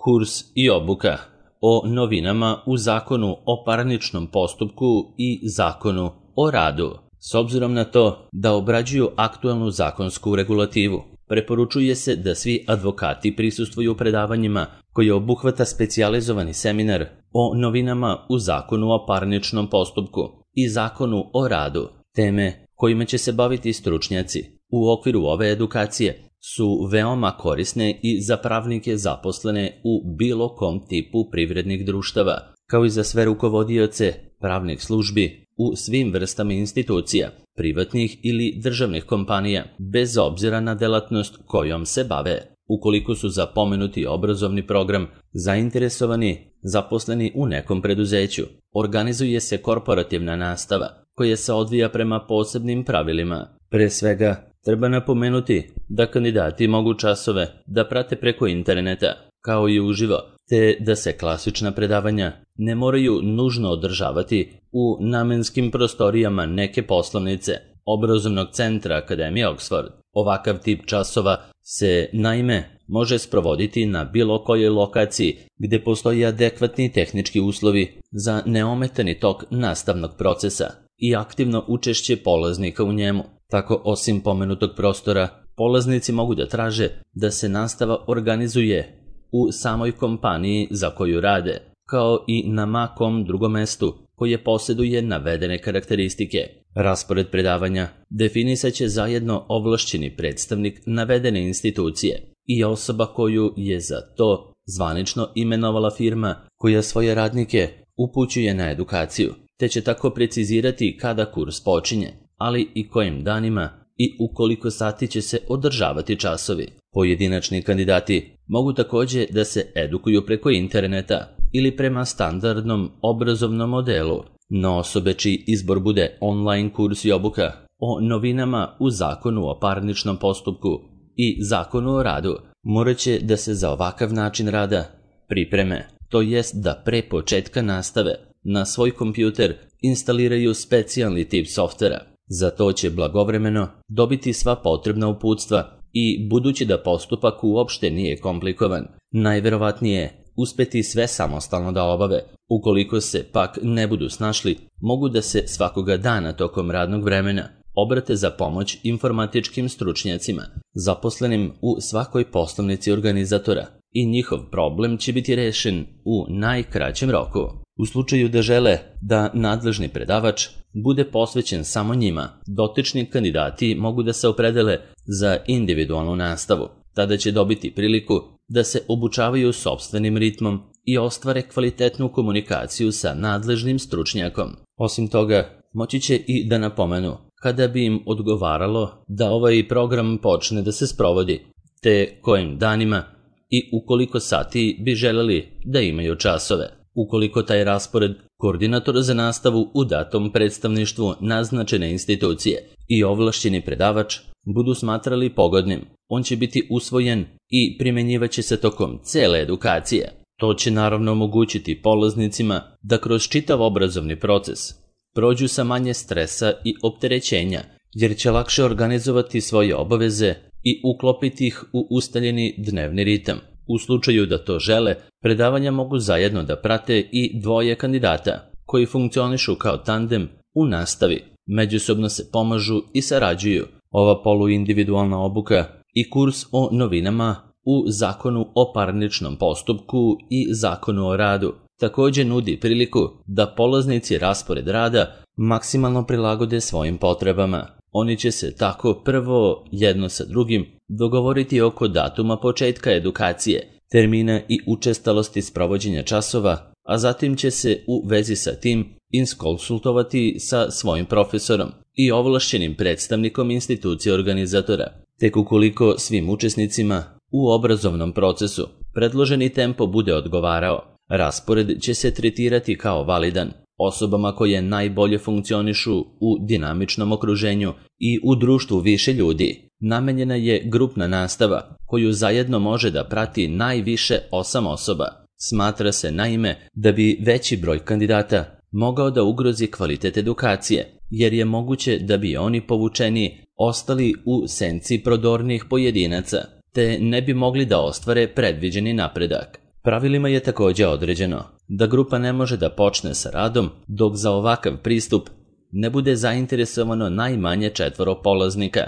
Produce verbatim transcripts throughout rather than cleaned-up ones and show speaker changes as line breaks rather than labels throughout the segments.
Kurs i obuka o novinama u Zakonu o parničnom postupku i Zakonu o radu. S obzirom na to da obrađuju aktualnu zakonsku regulativu, preporučuje se da svi advokati prisustvuju predavanjima koji obuhvata specijalizovani seminar o novinama u Zakonu o parničnom postupku i Zakonu o radu. Teme kojima će se baviti stručnjaci u okviru ove edukacije su veoma korisne i za pravnike zaposlene u bilo kom tipu privrednih društava, kao i za sve rukovodioce pravnih službi u svim vrstama institucija, privatnih ili državnih kompanija, bez obzira na delatnost kojom se bave. Ukoliko su za pomenuti obrazovni program zainteresovani zaposleni u nekom preduzeću, organizuje se korporativna nastava koja se odvija prema posebnim pravilima. Pre svega, treba napomenuti da kandidati mogu časove da prate preko interneta, kao i uživo, te da se klasična predavanja ne moraju nužno održavati u namenskim prostorijama neke poslovnice obrazovnog centra Akademije Oxford. Ovakav tip časova se, naime, može sprovoditi na bilo kojoj lokaciji gde postoji adekvatni tehnički uslovi za neometani tok nastavnog procesa i aktivno učešće polaznika u njemu. Tako, osim pomenutog prostora, polaznici mogu da traže da se nastava organizuje u samoj kompaniji za koju rade, kao i na makom drugom mestu koje posjeduje navedene karakteristike. Raspored predavanja definisat će zajedno ovlašćeni predstavnik navedene institucije i osoba koju je za to zvanično imenovala firma koja svoje radnike upućuje na edukaciju, te će tako precizirati kada kurs počinje, ali i kojim danima i u koliko sati će se održavati časovi. Pojedinačni kandidati mogu također da se edukuju preko interneta ili prema standardnom obrazovnom modelu, no osobe čiji izbor bude online kurs i obuka o novinama u Zakonu o parničnom postupku i Zakonu o radu morat će da se za ovakav način rada pripreme, to jest da pre početka nastave na svoj kompjuter instaliraju specijalni tip softvera. Za to će blagovremeno dobiti sva potrebna uputstva i, budući da postupak uopšte nije komplikovan, najverovatnije uspeti sve samostalno da obave. Ukoliko se pak ne budu snašli, mogu da se svakoga dana tokom radnog vremena obrate za pomoć informatičkim stručnjacima, zaposlenim u svakoj poslovnici organizatora, i njihov problem će biti rešen u najkraćem roku. U slučaju da žele da nadležni predavač bude posvećen samo njima, dotični kandidati mogu da se opredele za individualnu nastavu. Tada će dobiti priliku da se obučavaju sopstvenim ritmom i ostvare kvalitetnu komunikaciju sa nadležnim stručnjakom. Osim toga, moći će i da napomenu kada bi im odgovaralo da ovaj program počne da se sprovodi, te kojim danima i u koliko sati bi želeli da imaju časove. Ukoliko taj raspored koordinator za nastavu u datom predstavništvu naznačene institucije i ovlašćeni predavač budu smatrali pogodnim, on će biti usvojen i primenjivaće se tokom cele edukacije. To će naravno omogućiti polaznicima da kroz čitav obrazovni proces prođu sa manje stresa i opterećenja, jer će lakše organizovati svoje obaveze i uklopiti ih u ustaljeni dnevni ritam. U slučaju da to žele, predavanja mogu zajedno da prate i dvoje kandidata, koji funkcionišu kao tandem u nastavi, međusobno se pomažu i sarađuju. Ova poluindividualna obuka i kurs o novinama u Zakonu o parničnom postupku i Zakonu o radu također nudi priliku da polaznici raspored rada maksimalno prilagode svojim potrebama. Oni će se tako prvo jedno sa drugim dogovoriti oko datuma početka edukacije, termina i učestalosti sprovođenja časova, a zatim će se u vezi sa tim iskonsultovati sa svojim profesorom i ovlašćenim predstavnikom institucije organizatora. Tek ukoliko svim učesnicima u obrazovnom procesu predloženi tempo bude odgovarao, raspored će se tretirati kao validan. Osobama koje najbolje funkcionišu u dinamičnom okruženju i u društvu više ljudi namenjena je grupna nastava koju zajedno može da prati najviše osam osoba. Smatra se naime da bi veći broj kandidata mogao da ugrozi kvalitet edukacije, jer je moguće da bi oni povučeni ostali u senci prodornih pojedinaca, te ne bi mogli da ostvare predviđeni napredak. Pravilima je također određeno da grupa ne može da počne sa radom dok za ovakav pristup ne bude zainteresovano najmanje četvoro polaznika,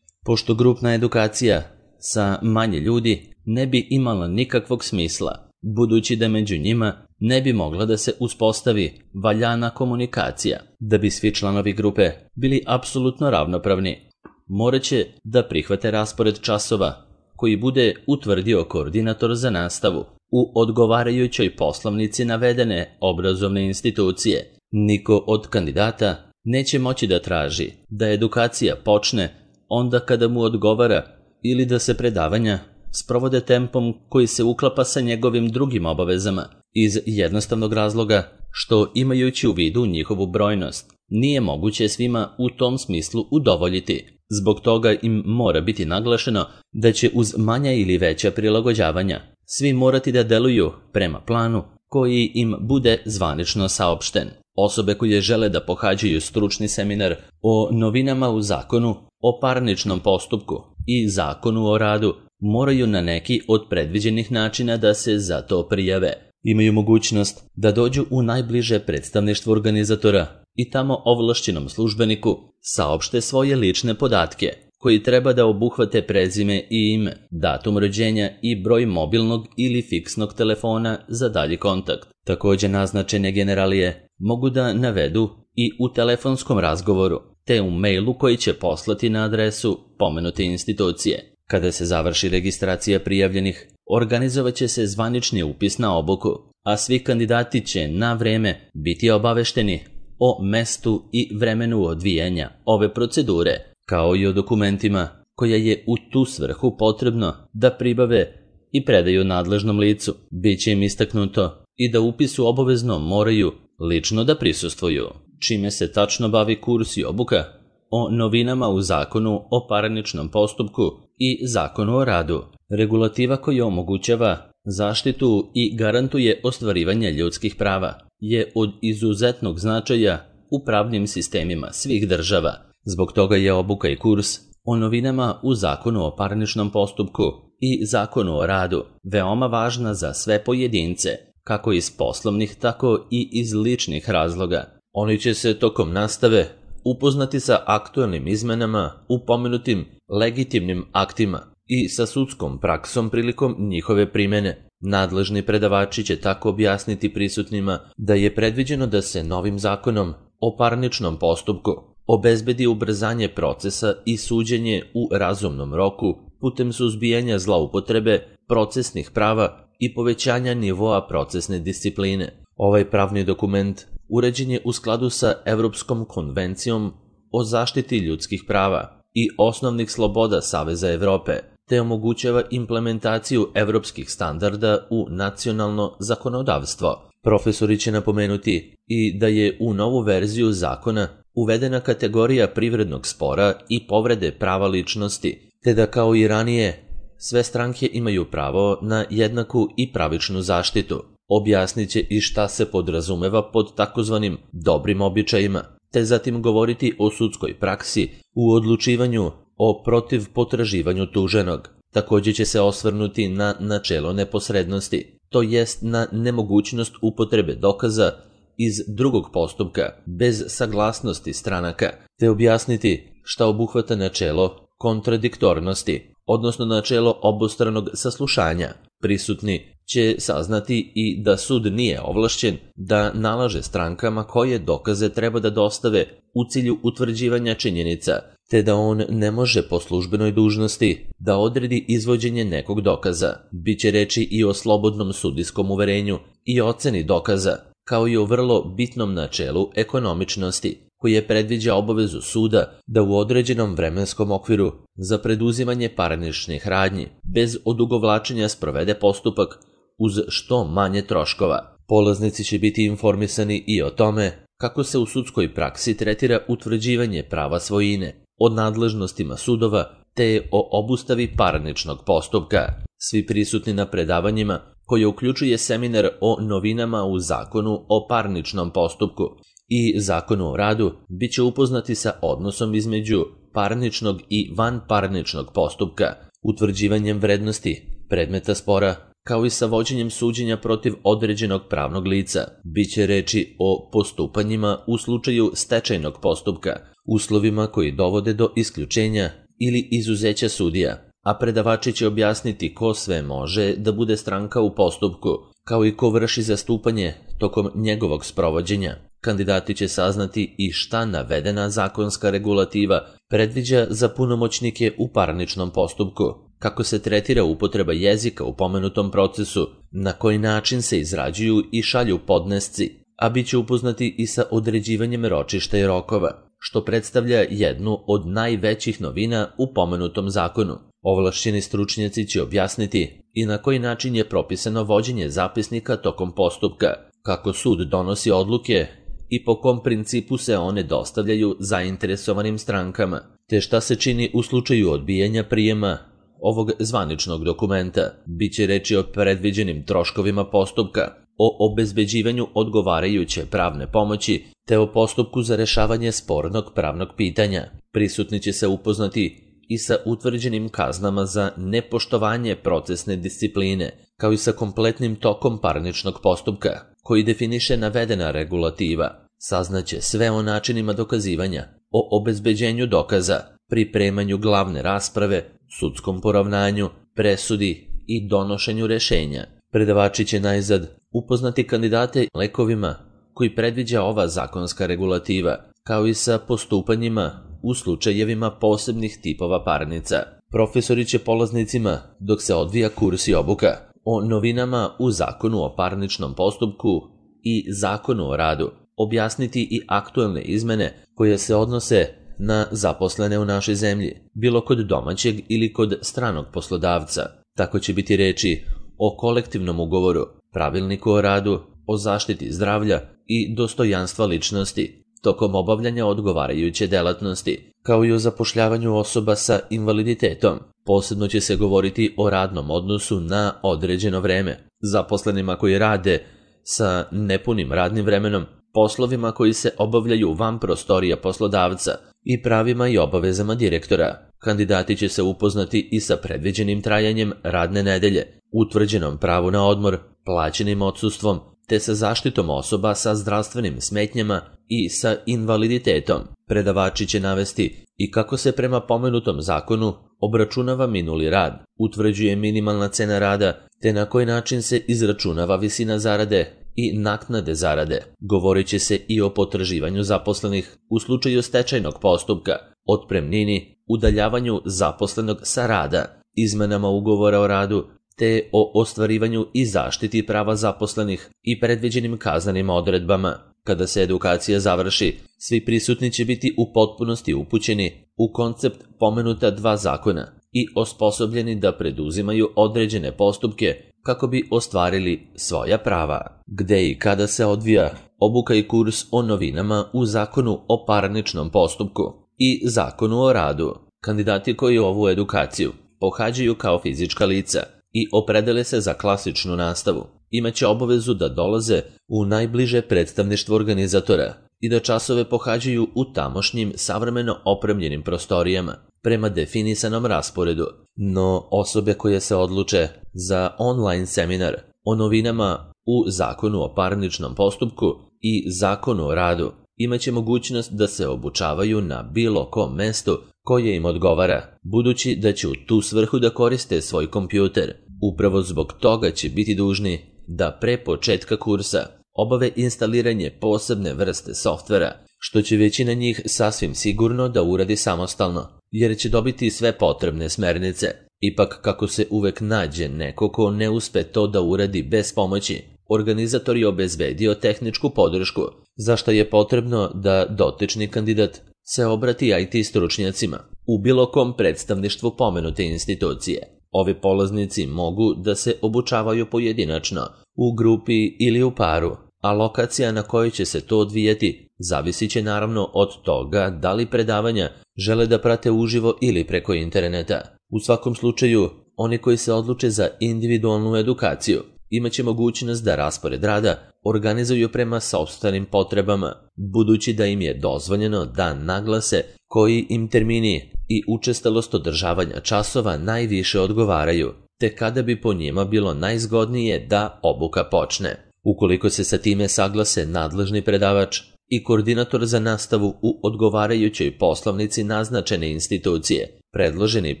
pošto grupna edukacija sa manje ljudi ne bi imala nikakvog smisla, budući da među njima ne bi mogla da se uspostavi valjana komunikacija. Da bi svi članovi grupe bili apsolutno ravnopravni, morat će da prihvate raspored časova koji bude utvrdio koordinator za nastavu u odgovarajućoj poslovnici navedene obrazovne institucije. Niko od kandidata neće moći da traži da edukacija počne onda kada mu odgovara ili da se predavanja sprovode tempom koji se uklapa sa njegovim drugim obavezama, iz jednostavnog razloga što, imajući u vidu njihovu brojnost, nije moguće svima u tom smislu udovoljiti. Zbog toga im mora biti naglašeno da će uz manja ili veća prilagođavanja svi morati da deluju prema planu koji im bude zvanično saopšten. Osobe koje žele da pohađaju stručni seminar o novinama u zakonu o parničnom postupku i zakonu o radu moraju na neki od predviđenih načina da se za to prijave. Imaju mogućnost da dođu u najbliže predstavništvo organizatora i tamo ovlašćenom službeniku saopšte svoje lične podatke, koji treba da obuhvate prezime i ime, datum rođenja i broj mobilnog ili fiksnog telefona za dalji kontakt. Također naznačene generalije mogu da navedu i u telefonskom razgovoru, te u mailu koji će poslati na adresu pomenute institucije. Kada se završi registracija prijavljenih, organizovat će se zvanični upis na obuku, a svi kandidati će na vreme biti obavešteni o mestu i vremenu odvijanja ove procedure, kao i o dokumentima koja je u tu svrhu potrebno da pribave i predaju nadležnom licu. Biće im istaknuto i da upisu obavezno moraju lično da prisustvuju. Čime se tačno bavi kurs i obuka o novinama u zakonu o parničnom postupku i zakonu o radu. Regulativa koja omogućava zaštitu i garantuje ostvarivanje ljudskih prava je od izuzetnog značaja u pravnim sistemima svih država. Zbog toga je obuka i kurs o novinama u zakonu o parničnom postupku i zakonu o radu veoma važna za sve pojedince, kako iz poslovnih, tako i iz ličnih razloga. Oni će se tokom nastave upoznati sa aktualnim izmenama u pomenutim legitimnim aktima i sa sudskom praksom prilikom njihove primene. Nadležni predavači će tako objasniti prisutnima da je predviđeno da se novim zakonom o parničnom postupku obezbedi ubrzanje procesa i suđenje u razumnom roku putem suzbijanja zloupotrebe procesnih prava i povećanja nivoa procesne discipline. Ovaj pravni dokument uređen je u skladu sa Evropskom konvencijom o zaštiti ljudskih prava i osnovnih sloboda Saveza Evrope, te omogućava implementaciju evropskih standarda u nacionalno zakonodavstvo. Profesori će napomenuti i da je u novu verziju zakona uvedena kategorija privrednog spora i povrede prava ličnosti, te da kao i ranije sve stranke imaju pravo na jednaku i pravičnu zaštitu. Objasnit će i šta se podrazumeva pod takozvanim dobrim običajima, te zatim govoriti o sudskoj praksi u odlučivanju o protiv potraživanju tuženog. Također će se osvrnuti na načelo neposrednosti, to jest na nemogućnost upotrebe dokaza iz drugog postupka bez saglasnosti stranaka, te objasniti šta obuhvata načelo kontradiktornosti, odnosno načelo obostranog saslušanja. Prisutni će saznati i da sud nije ovlašćen da nalaže strankama koje dokaze treba da dostave u cilju utvrđivanja činjenica, te da on ne može po službenoj dužnosti da odredi izvođenje nekog dokaza. Biće reči i o slobodnom sudijskom uverenju i oceni dokaza, kao i o vrlo bitnom načelu ekonomičnosti, koje predviđa obavezu suda da u određenom vremenskom okviru za preduzimanje parničnih radnji bez odugovlačenja sprovede postupak uz što manje troškova. Polaznici će biti informisani i o tome kako se u sudskoj praksi tretira utvrđivanje prava svojine, o nadležnostima sudova te o obustavi parničnog postupka. Svi prisutni na predavanjima, koje uključuje seminar o novinama u zakonu o parničnom postupku i zakonu o radu, bit će upoznati sa odnosom između parničnog i vanparničnog postupka, utvrđivanjem vrednosti predmeta spora, kao i sa vođenjem suđenja protiv određenog pravnog lica. Biće reči o postupanjima u slučaju stečajnog postupka, uslovima koji dovode do isključenja ili izuzeća sudija, a predavači će objasniti ko sve može da bude stranka u postupku, kao i ko vrši zastupanje tokom njegovog sprovođenja. Kandidati će saznati i šta navedena zakonska regulativa predviđa za punomoćnike u parničnom postupku, kako se tretira upotreba jezika u pomenutom procesu, na koji način se izrađuju i šalju podnesci, a bit će upoznati i sa određivanjem ročišta i rokova, što predstavlja jednu od najvećih novina u pomenutom zakonu. Ovlašćeni stručnjaci će objasniti i na koji način je propisano vođenje zapisnika tokom postupka, kako sud donosi odluke i po kom principu se one dostavljaju zainteresovanim strankama, te šta se čini u slučaju odbijanja prijema ovog zvaničnog dokumenta. Biće reči o predviđenim troškovima postupka, o obezbeđivanju odgovarajuće pravne pomoći, te o postupku za rešavanje spornog pravnog pitanja. Prisutni će se upoznati i sa utvrđenim kaznama za nepoštovanje procesne discipline, kao i sa kompletnim tokom parničnog postupka, koji definiše navedena regulativa. Saznaće sve o načinima dokazivanja, o obezbeđenju dokaza, pripremanju glavne rasprave, sudskom poravnanju, presudi i donošenju rešenja. Predavači će najzad upoznati kandidate lekovima koji predviđa ova zakonska regulativa, kao i sa postupanjima u slučajevima posebnih tipova parnica. Profesori će polaznicima, dok se odvija kurs i obuka, o novinama u Zakonu o parničnom postupku i Zakonu o radu objasniti i aktuelne izmene koje se odnose na zaposlene u našoj zemlji, bilo kod domaćeg ili kod stranog poslodavca. Tako će biti reči o kolektivnom ugovoru, pravilniku o radu, o zaštiti zdravlja i dostojanstva ličnosti tokom obavljanja odgovarajuće delatnosti, kao i o zapošljavanju osoba sa invaliditetom. Posebno će se govoriti o radnom odnosu na određeno vreme, zaposlenima koji rade sa nepunim radnim vremenom, poslovima koji se obavljaju van prostorija poslodavca i pravima i obavezama direktora. Kandidati će se upoznati i sa predviđenim trajanjem radne nedelje, utvrđenom pravu na odmor, plaćenim odsustvom, te sa zaštitom osoba sa zdravstvenim smetnjama i sa invaliditetom. Predavači će navesti i kako se prema pomenutom zakonu obračunava minuli rad, utvrđuje minimalna cena rada, te na koji način se izračunava visina zarade i naknade zarade. Govorit će se i o potraživanju zaposlenih u slučaju stečajnog postupka, otpremnini, udaljavanju zaposlenog sa rada, izmenama ugovora o radu, te o ostvarivanju i zaštiti prava zaposlenih i predviđenim kaznenim odredbama. Kada se edukacija završi, svi prisutni će biti u potpunosti upućeni u koncept pomenuta dva zakona i osposobljeni da preduzimaju određene postupke kako bi ostvarili svoja prava. Gde i kada se odvija obuka i kurs o novinama u Zakonu o parničnom postupku i Zakonu o radu. Kandidati koji ovu edukaciju pohađaju kao fizička lica i opredele se za klasičnu nastavu, imaće obavezu da dolaze u najbliže predstavništvo organizatora i da časove pohađaju u tamošnjim savremeno opremljenim prostorijama prema definisanom rasporedu. No osobe koje se odluče za online seminar o novinama u Zakonu o parničnom postupku i Zakonu o radu imaće mogućnost da se obučavaju na bilo kom mestu koje im odgovara, budući da će u tu svrhu da koriste svoj kompjuter. Upravo zbog toga će biti dužni da pre početka kursa obave instaliranje posebne vrste softvera, što će većina njih sasvim sigurno da uradi samostalno, jer će dobiti sve potrebne smernice. Ipak, kako se uvek nađe neko ko ne uspe to da uradi bez pomoći, organizator je obezbedio tehničku podršku, za što je potrebno da dotični kandidat se obrati I T stručnjacima u bilo kom predstavništvu pomenute institucije. Ovi polaznici mogu da se obučavaju pojedinačno, u grupi ili u paru, a lokacija na kojoj će se to odvijati zavisit će naravno od toga da li predavanja žele da prate uživo ili preko interneta. U svakom slučaju, oni koji se odluče za individualnu edukaciju imaće mogućnost da raspored rada organizuju prema sopstvenim potrebama, budući da im je dozvoljeno da naglase koji im termini i učestalost održavanja časova najviše odgovaraju. te kada bi po njima bilo najzgodnije da obuka počne. Ukoliko se sa time saglase nadležni predavač i koordinator za nastavu u odgovarajućoj poslovnici naznačene institucije, predloženi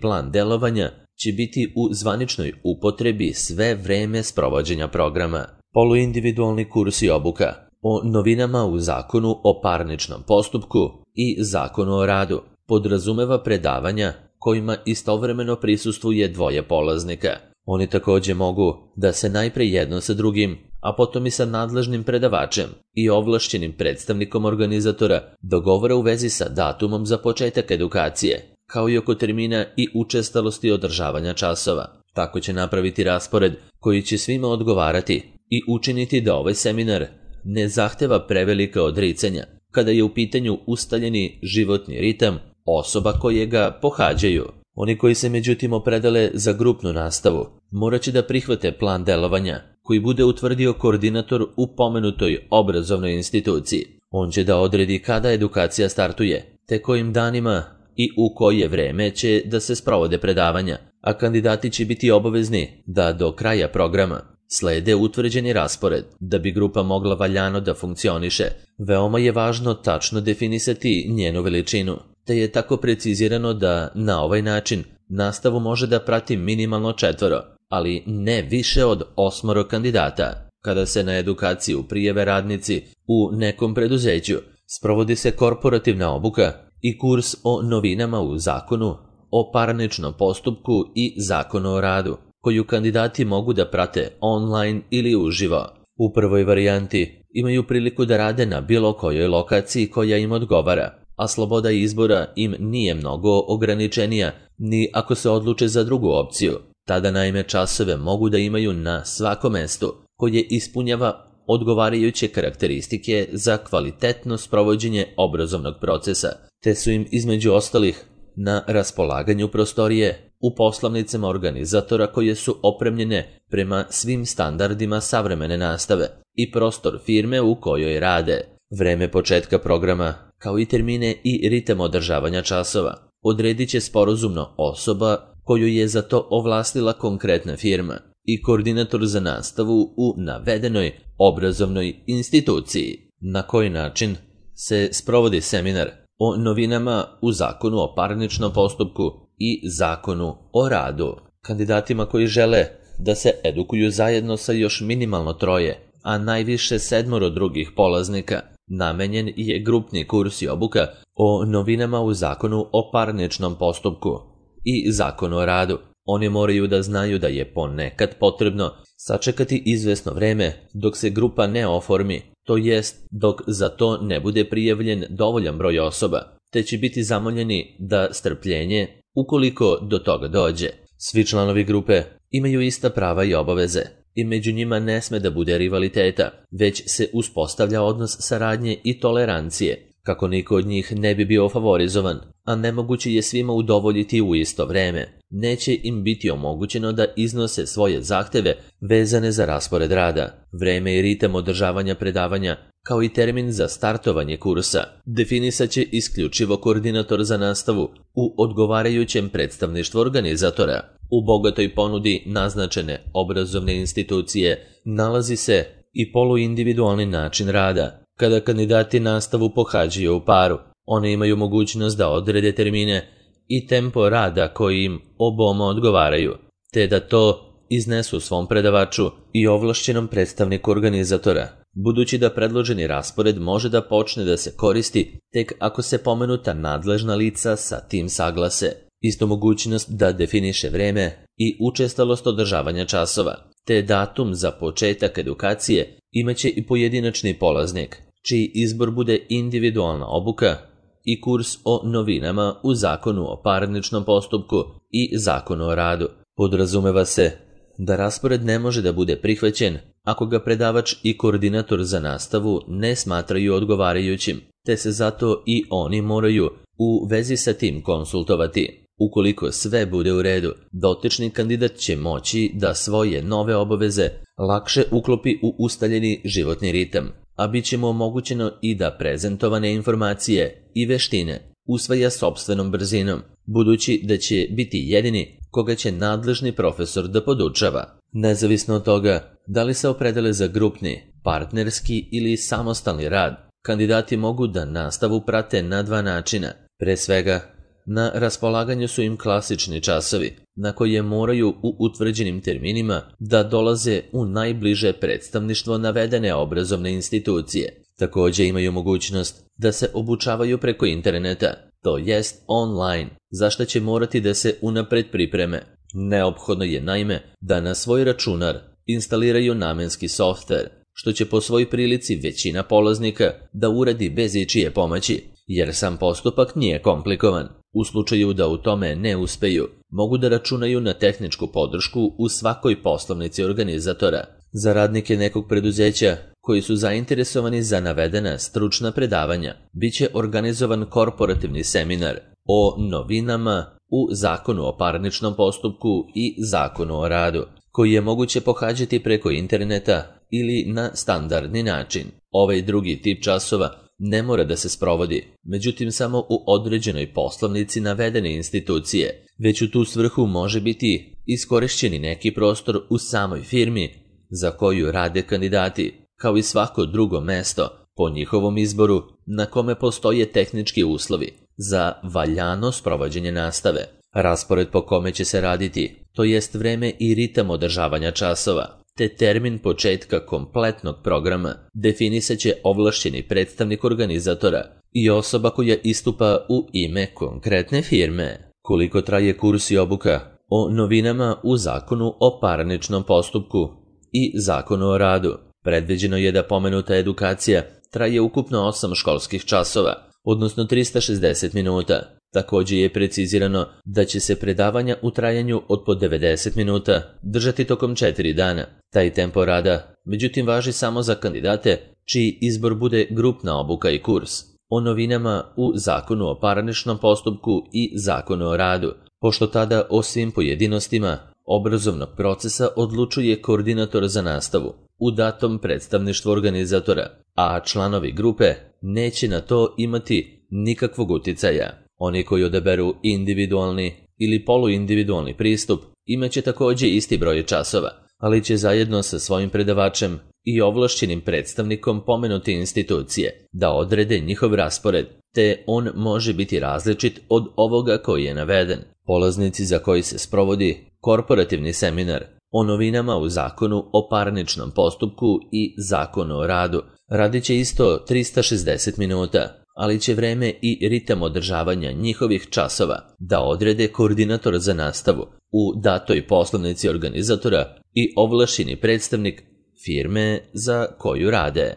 plan delovanja će biti u zvaničnoj upotrebi sve vreme sprovođenja programa. Poluindividualni kurs i obuka o novinama u Zakonu o parničnom postupku i Zakonu o radu podrazumeva predavanja kojima istovremeno prisustvuje dvoje polaznika. Oni takođe mogu da se najpre jedno sa drugim, a potom i sa nadležnim predavačem i ovlašćenim predstavnikom organizatora dogovore u vezi sa datumom za početak edukacije, kao i oko termina i učestalosti održavanja časova. Tako će napraviti raspored koji će svima odgovarati i učiniti da ovaj seminar ne zahteva prevelika odricanja kada je u pitanju ustaljeni životni ritam osoba koje ga pohađaju. Oni koji se međutim opredele za grupnu nastavu morat će da prihvate plan delovanja koji bude utvrdio koordinator u pomenutoj obrazovnoj instituciji. On će da odredi kada edukacija startuje, te kojim danima i u koje vreme će da se sprovode predavanja, a kandidati će biti obavezni da do kraja programa slede utvrđeni raspored. Da bi grupa mogla valjano da funkcioniše, veoma je važno tačno definisati njenu veličinu, te je tako precizirano da na ovaj način nastavu može da prati minimalno četvoro, ali ne više od osmoro kandidata. Kada se na edukaciju prijave radnici u nekom preduzeću, sprovodi se korporativna obuka i kurs o novinama u Zakonu o parničnom postupku i Zakonu o radu, koju kandidati mogu da prate online ili uživo. U prvoj varijanti imaju priliku da rade na bilo kojoj lokaciji koja im odgovara, a sloboda izbora im nije mnogo ograničenija ni ako se odluče za drugu opciju. Tada naime časove mogu da imaju na svakom mestu koje ispunjava odgovarajuće karakteristike za kvalitetno sprovođenje obrazovnog procesa, te su im između ostalih na raspolaganju prostorije u poslovnicama organizatora koje su opremljene prema svim standardima savremene nastave i prostor firme u kojoj rade. Vreme početka programa, kao i termine i ritam održavanja časova, odredit će sporazumno osoba koju je za to ovlastila konkretna firma i koordinator za nastavu u navedenoj obrazovnoj instituciji. Na koji način se sprovodi seminar o novinama u Zakonu o parničnom postupku i Zakonu o radu? Kandidatima koji žele da se edukuju zajedno sa još minimalno troje, a najviše sedmoro drugih polaznika, namenjen je grupni kurs i obuka o novinama u Zakonu o parničnom postupku i Zakonu o radu. Oni moraju da znaju da je ponekad potrebno sačekati izvesno vreme dok se grupa ne oformi, to jest dok za to ne bude prijavljen dovoljan broj osoba, te će biti zamoljeni da strpljenje ukoliko do toga dođe. Svi članovi grupe imaju ista prava i obaveze i među njima ne sme da bude rivaliteta, već se uspostavlja odnos saradnje i tolerancije, kako niko od njih ne bi bio favorizovan, a nemoguće je svima udovoljiti u isto vreme. Neće im biti omogućeno da iznose svoje zahteve vezane za raspored rada, vreme i ritam održavanja predavanja, kao i termin za startovanje kursa. Definisat će isključivo koordinator za nastavu u odgovarajućem predstavništvu organizatora. U bogatoj ponudi naznačene obrazovne institucije nalazi se i poluindividualni način rada. Kada kandidati nastavu pohađaju u paru, one imaju mogućnost da odrede termine i tempo rada koji im oboma odgovaraju, te da to iznesu svom predavaču i ovlašćenom predstavniku organizatora, budući da predloženi raspored može da počne da se koristi tek ako se pomenuta nadležna lica sa tim saglase. Isto mogućnost da definiše vreme i učestalost održavanja časova, te datum za početak edukacije imaće i pojedinačni polaznik, čiji izbor bude individualna obuka i kurs o novinama u Zakonu o parničnom postupku i Zakonu o radu. Podrazumeva se da raspored ne može da bude prihvaćen ako ga predavač i koordinator za nastavu ne smatraju odgovarajućim, te se zato i oni moraju u vezi sa tim konsultovati. Ukoliko sve bude u redu, dotični kandidat će moći da svoje nove obaveze lakše uklopi u ustaljeni životni ritam, a bit će mu omogućeno i da prezentovane informacije i veštine usvaja sopstvenom brzinom, budući da će biti jedini koga će nadležni profesor da podučava. Nezavisno od toga da li se opredele za grupni, partnerski ili samostalni rad, kandidati mogu da nastavu prate na dva načina. Pre svega, na raspolaganju su im klasični časovi, na koje moraju u utvrđenim terminima da dolaze u najbliže predstavništvo navedene obrazovne institucije. Takođe imaju mogućnost da se obučavaju preko interneta, to jest online, za što će morati da se unapred pripreme. Neophodno je naime da na svoj računar instaliraju namenski softver, što će po svoj prilici većina polaznika da uradi bez ičije pomoći, jer sam postupak nije komplikovan. U slučaju da u tome ne uspeju, mogu da računaju na tehničku podršku u svakoj poslovnici organizatora. Za radnike nekog preduzeća koji su zainteresovani za navedena stručna predavanja, bit će organizovan korporativni seminar o novinama u Zakonu o parničnom postupku i Zakonu o radu, koji je moguće pohađati preko interneta ili na standardni način. Ovaj drugi tip časova ne mora da se sprovodi, međutim samo u određenoj poslovnici navedene institucije, već u tu svrhu može biti iskorišćeni neki prostor u samoj firmi za koju rade kandidati, kao i svako drugo mesto po njihovom izboru na kome postoje tehnički uslovi za valjano sprovođenje nastave. Raspored po kome će se raditi, to jest vreme i ritam održavanja časova, te termin početka kompletnog programa definisaće ovlašćeni predstavnik organizatora i osoba koja istupa u ime konkretne firme. Koliko traje kurs i obuka o novinama u Zakonu o parničnom postupku i Zakonu o radu? Predviđeno je da pomenuta edukacija traje ukupno osam školskih časova, odnosno trista šezdeset minuta. Takođe je precizirano da će se predavanja u trajanju od po devedeset minuta držati tokom četiri dana. Taj tempo rada, međutim, važi samo za kandidate čiji izbor bude grupna obuka i kurs o novinama u Zakonu o parničnom postupku i Zakonu o radu, pošto tada o svim pojedinostima obrazovnog procesa odlučuje koordinator za nastavu u datom predstavništvu organizatora, a članovi grupe neće na to imati nikakvog uticaja. Oni koji odaberu individualni ili poluindividualni pristup imaće takođe isti broj časova, ali će zajedno sa svojim predavačem i ovlašćenim predstavnikom pomenute institucije da odrede njihov raspored, te on može biti različit od ovoga koji je naveden. Polaznici za koji se sprovodi korporativni seminar o novinama u Zakonu o parničnom postupku i Zakonu o radu radit će isto trista šezdeset minuta, ali će vreme i ritam održavanja njihovih časova da odrede koordinator za nastavu u datoj poslovnici organizatora i ovlašćeni predstavnik firme za koju rade.